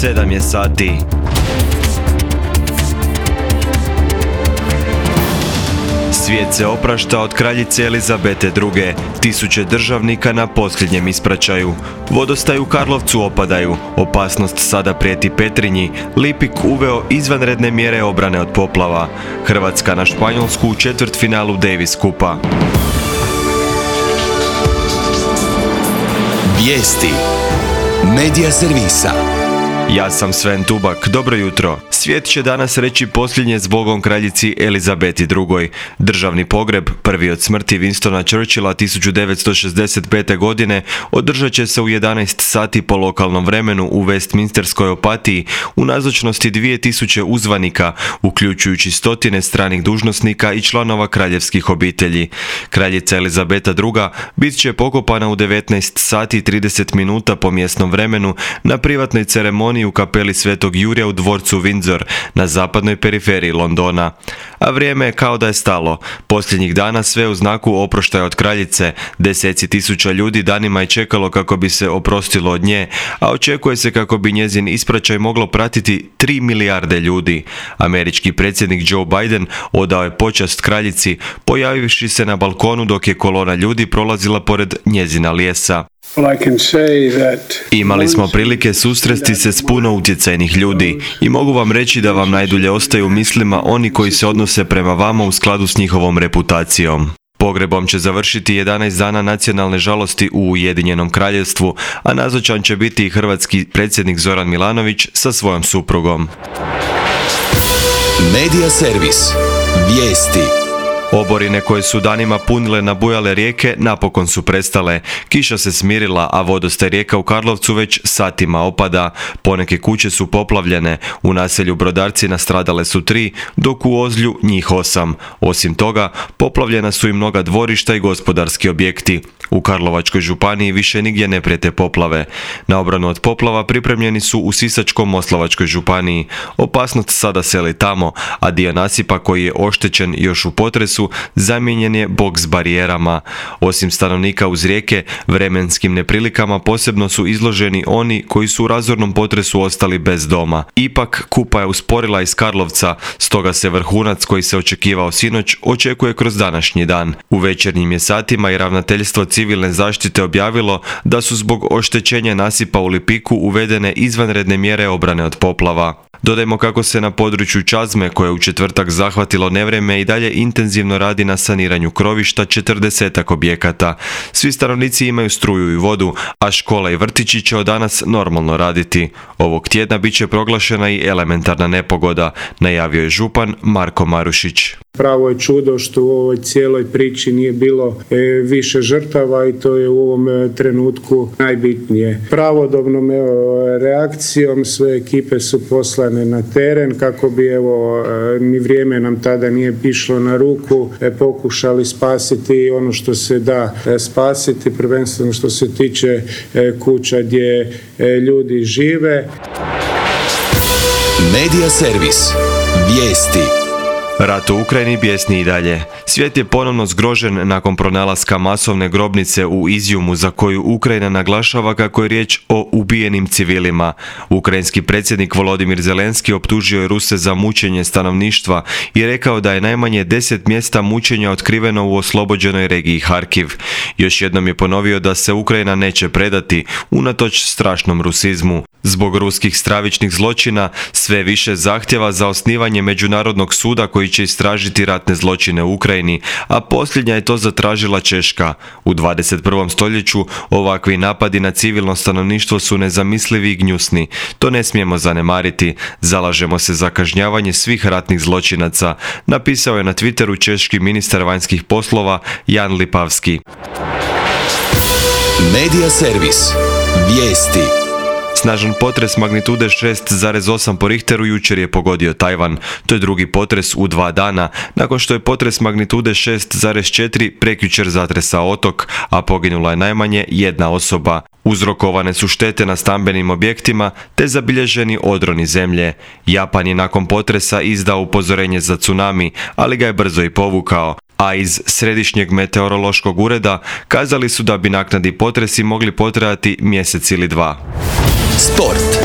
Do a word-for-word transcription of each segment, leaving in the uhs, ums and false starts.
sedam je sati. Svijet se oprašta od kraljice Elizabete druge. Tisuće državnika na posljednjem ispraćaju. Vodostaj u Karlovcu opadaju. Opasnost sada prijeti Petrinji. Lipik uveo izvanredne mjere obrane od poplava. Hrvatska na Španjolsku u četvrtfinalu Davis kupa. Vijesti Medija servisa. Ja sam Sven Tubak, dobro jutro. Svijet će danas reći posljednje zbogom kraljici Elizabeti drugoj. Državni pogreb, prvi od smrti Winstona Churchilla tisuću devetsto šezdeset pete. godine, održat će se u jedanaest sati po lokalnom vremenu u Westminsterskoj Opatiji u nazočnosti dvije tisuće uzvanika, uključujući stotine stranih dužnosnika i članova kraljevskih obitelji. Kraljica Elizabeta druga bit će pokopana u devetnaest sati i trideset minuta po mjesnom vremenu na privatnoj ceremoniji u kapeli Svetog Jurija u dvorcu Windsor na zapadnoj periferiji Londona. A vrijeme je kao da je stalo. Posljednjih dana sve u znaku oproštaja od kraljice. Deseci tisuća ljudi danima je čekalo kako bi se oprostilo od nje, a očekuje se kako bi njezin ispraćaj moglo pratiti tri milijarde ljudi. Američki predsjednik Joe Biden odao je počast kraljici, pojavivši se na balkonu dok je kolona ljudi prolazila pored njezina lijesa. Imali smo prilike susresti se s puno utjecajnih ljudi i mogu vam reći da vam najdulje ostaju u mislima oni koji se odnose prema vama u skladu s njihovom reputacijom. Pogrebom će završiti jedanaest dana nacionalne žalosti u Ujedinjenom kraljevstvu, a nazočan će biti i hrvatski predsjednik Zoran Milanović sa svojom suprugom. Medija servis. Vijesti. Oborine koje su danima punile nabujale rijeke napokon su prestale. Kiša se smirila, a vodostaj rijeka u Karlovcu već satima opada. Poneke kuće su poplavljene. U naselju Brodarci nastradale su tri, dok u Ozlju njih osam. Osim toga, poplavljena su i mnoga dvorišta i gospodarski objekti. U Karlovačkoj županiji više nigdje ne prijete poplave. Na obranu od poplava pripremljeni su u Sisačko-moslavačkoj županiji. Opasnost sada seli tamo, a dio nasipa koji je oštećen još u potresu zamijenjen je boks barijerama. Osim stanovnika uz rijeke, vremenskim neprilikama posebno su izloženi oni koji su u razornom potresu ostali bez doma. Ipak, kupa je usporila iz Karlovca, stoga se vrhunac koji se očekivao sinoć očekuje kroz današnji dan. U večernjim je satima i ravnateljstvo civilne zaštite objavilo da su zbog oštećenja nasipa u Lipiku uvedene izvanredne mjere obrane od poplava. Dodajmo kako se na području Čazme, koje je u četvrtak zahvatilo nevrijeme, i dalje intenzivno radi na saniranju krovišta četrdesetak objekata. Svi stanovnici imaju struju i vodu, a škola i vrtići će od danas normalno raditi. Ovog tjedna bit će proglašena i elementarna nepogoda, najavio je župan Marko Marušić. Pravo je čudo što u ovoj cijeloj priči nije bilo e, više žrtava i to je u ovom e, trenutku najbitnije. Pravodobnom evo, reakcijom sve ekipe su poslane na teren kako bi evo, e, ni vrijeme nam tada nije išlo na ruku, e, pokušali spasiti ono što se da e, spasiti, prvenstveno što se tiče e, kuća gdje e, ljudi žive. Medija servis. Vijesti. Rat u Ukrajini bijesni i dalje. Svijet je ponovno zgrožen nakon pronalaska masovne grobnice u Izjumu za koju Ukrajina naglašava kako je riječ o ubijenim civilima. Ukrajinski predsjednik Volodimir Zelenski optužio je Ruse za mučenje stanovništva i rekao da je najmanje deset mjesta mučenja otkriveno u oslobođenoj regiji Harkiv. Još jednom je ponovio da se Ukrajina neće predati unatoč strašnom rusizmu. Zbog ruskih stravičnih zločina sve više zahtjeva za osnivanje međunarodnog suda koji će istražiti ratne zločine u Ukrajini, a posljednja je to zatražila Češka. U dvadeset prvom stoljeću ovakvi napadi na civilno stanovništvo su nezamislivi i gnjusni. To ne smijemo zanemariti. Zalažemo se za kažnjavanje svih ratnih zločinaca, napisao je na Twitteru češki ministar vanjskih poslova Jan Lipavski. Medija servis. Vijesti. Snažan potres magnitude šest zarez osam po Richteru jučer je pogodio Tajvan. To je drugi potres u dva dana, nakon što je potres magnitude šest zarez četiri prekjučer zatresao otok, a poginula je najmanje jedna osoba. Uzrokovane su štete na stambenim objektima te zabilježeni odroni zemlje. Japan je nakon potresa izdao upozorenje za tsunami, ali ga je brzo i povukao. A iz Središnjeg meteorološkog ureda kazali su da bi naknadni potresi mogli potrajati mjesec ili dva. Sport.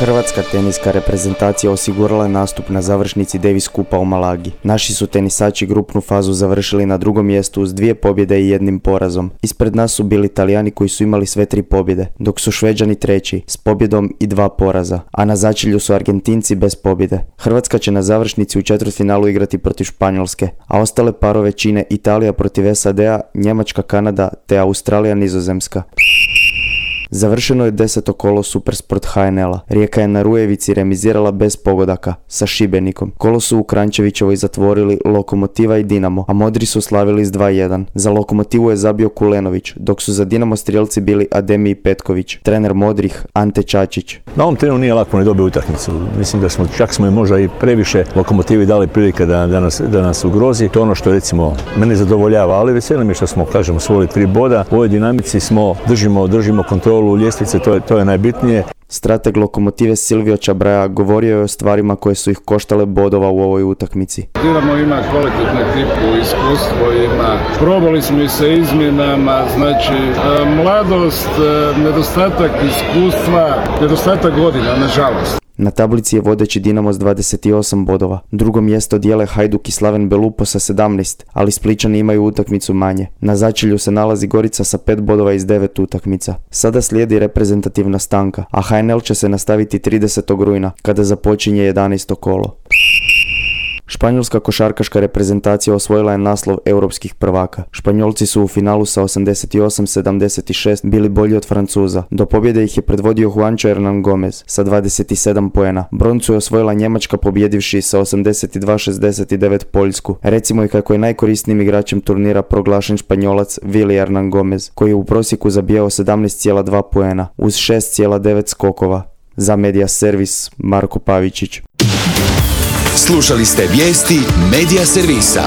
Hrvatska teniska reprezentacija osigurala je nastup na završnici Davis Kupa u Malagi. Naši su tenisači grupnu fazu završili na drugom mjestu uz dvije pobjede i jednim porazom. Ispred nas su bili Talijani koji su imali sve tri pobjede, dok su Šveđani treći s pobjedom i dva poraza, a na začelju su Argentinci bez pobjede. Hrvatska će na završnici u četvrtfinalu igrati protiv Španjolske, a ostale parove čine Italija protiv S A D-a, Njemačka, Kanada te Australija, Nizozemska. Završeno je deseto kolo Supersport H N L-a. Rijeka je na Rujevici remizirala bez pogodaka sa Šibenikom. Kolo su u Kranjčevićevoj zatvorili Lokomotiva i Dinamo, a Modri su slavili s dva jedan. Za Lokomotivu je zabio Kulenović, dok su za Dinamo strijelci bili Ademi i Petković. Trener Modrih Ante Čačić. Na ovom terenu nije lako ni dobiti utakmicu. Mislim da smo čak smo i možda i previše Lokomotivi dali prilike da, da, nas, da nas ugrozi. To je ono što recimo mene zadovoljava, ali veseli mi što smo, kažemo, svojili tri boda. U ovoj dinamici smo, držimo, držimo kontrolu u ljestvice, to je, to je najbitnije. Strateg Lokomotive Silvio Čabraja govorio je o stvarima koje su ih koštale bodova u ovoj utakmici. Dinamo ima kvalitetnu ekipu, iskustvo ima. Probali smo i sa izmjenama, znači mladost, nedostatak iskustva, nedostatak godina, nažalost. Na tablici je vodeći Dinamo s dvadeset osam bodova. Drugo mjesto dijele Hajduk i Slaven Belupo sa sedamnaest, ali Splićani imaju utakmicu manje. Na začelju se nalazi Gorica sa pet bodova iz devet utakmica. Sada slijedi reprezentativna stanka, a H N L će se nastaviti tridesetog rujna, kada započinje jedanaesto kolo. Španjolska košarkaška reprezentacija osvojila je naslov europskih prvaka. Španjolci su u finalu sa osamdeset osam sedamdeset šest bili bolji od Francuza. Do pobjede ih je predvodio Juancho Hernan Gomez sa dvadeset sedam poena. Broncu je osvojila Njemačka pobjedivši sa osamdeset dva šezdeset devet Poljsku. Recimo i kako je najkorisnijim igračem turnira proglašen Španjolac Willy Hernan Gomez, koji je u prosjeku zabijao sedamnaest zarez dva poena uz šest zarez devet skokova. Za Media Servis Marko Pavičić. Slušali ste vijesti Media Servisa.